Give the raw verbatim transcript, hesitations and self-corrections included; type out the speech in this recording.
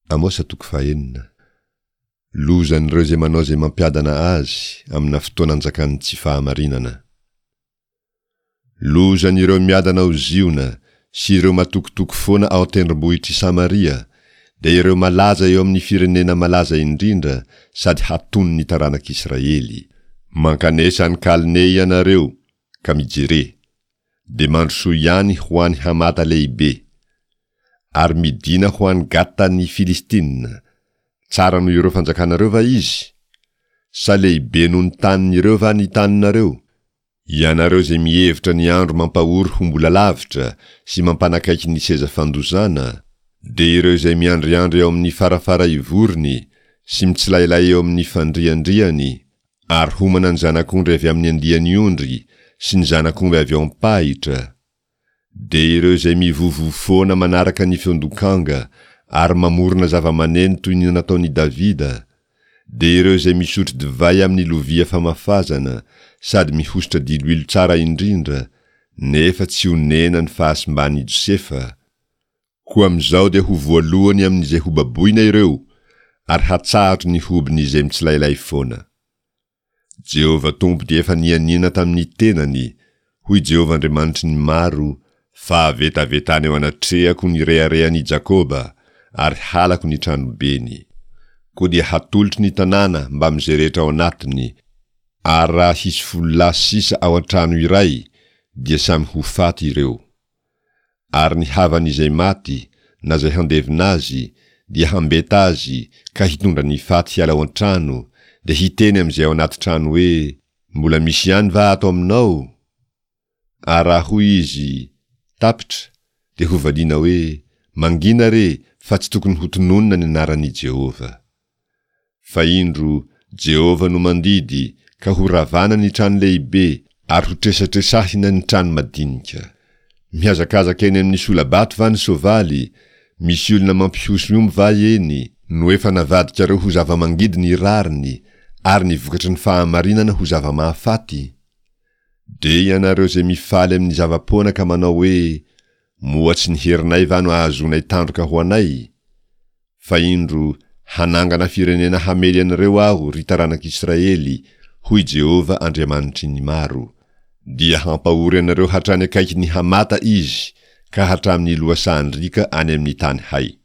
Amosa toko fahenina. Lozan'ireo izay manao izay mampiadana azy amina fotoana anjakan'ny tsy fahamarinana. Lozan'ireo miadana ao Ziona sy ireo matokitoky foana ao an-tendrombohitr'i Samaria, dia ireo malaza eo amin'ny firenena malaza indrindra sady hatonin'ny taranak'Israely. Mankanesa any Kalne ianareo, ka mijere. Dia mandrosoa ihany ho any Hamata lehibe. Ary midina ho any Gata ny Filistina. Tsara noho ireo fanjakanareo va izy? Sa lehibe noho ny tanin'ireo va ny taninareo? Ianareo izay mihevitra ny andro mampahory ho mbola lavitra sy mampanakaiky ny seza fandozana, dia ireo izay miandriandry eo amin'ny farafara ivorony sy mitsilailay eo amin'ny fandriandriany, ary homana ny zanak'ondry avy amin'ny andiany ondry sy ny zanak'omby avy ao am-pahitra, dia ireo izay mivovo foana manaraka ny feon-dokanga ary mamorona zava-maneno toy ny nataon'i Davida, dia ireo izay misotro divay amin'ny lovia famafazana sady mihosotra diloilo tsara indrindra, nefa tsy onena ny fahasimban'i Josefa, koa amin'izao dia ho voalohany amin'izay hobaboina ireo, ary hatsahatro ny hobin'izay mitsilailay foana. Jehovah Tompo dia efa nianiana tamin'ny tenany, hoy Jehovah Andriamanitry ny maro, fa vetavetana eo anatrehako ny reharehan'i Jakoba, ary halako ny tranobeny. Koa dia hatolotro ny tanàna mbamin'izay rehetra ao anatiny, ary raha hisy folo lahy sisa ao an-trano iray, dia samy ho faty ireo. Ary ny havan'izay maty, na izay handevina azy, dia hambeta azy ka hitondra ny faty hiala ao an-trano, dia hiteny amin'izay ao anaty trano hoe: Mbola misy ihany va ato aminao? Ary raha hoy izy: Tapitra, dia hovaliana hoe: Mangina re, fa tsy tokony hotononina ny anaran'i Jehovah. Fa indro, Jehovah no mandidy, ka horavana ny trano lehibe, ary hotresatresahina ny trano madinika. Mihazakazaka eny amin'ny sola-bato va ny soavaly? Misy olona mampihosy omby va eny? No efa navadikareo ho zava-mangidy ny rariny, ary ny vokatry ny fahamarinana ho zava-mahafaty? Dia ianareo izay mifaly amin'ny zava-poana ka manao hoe: Moa tsy ny herinay va no ahazoanay tandroka ho anay? Fa indro, hanangana firenena hamely anareo Aho, ry taranak'Israely, hoy Jehovah Andriamanitry ny maro. Dia hampahory anareo hatrany akaikin'ny Hamata izy, ka hatramin'ny lohasahan-driaka any amin'ny tany hay.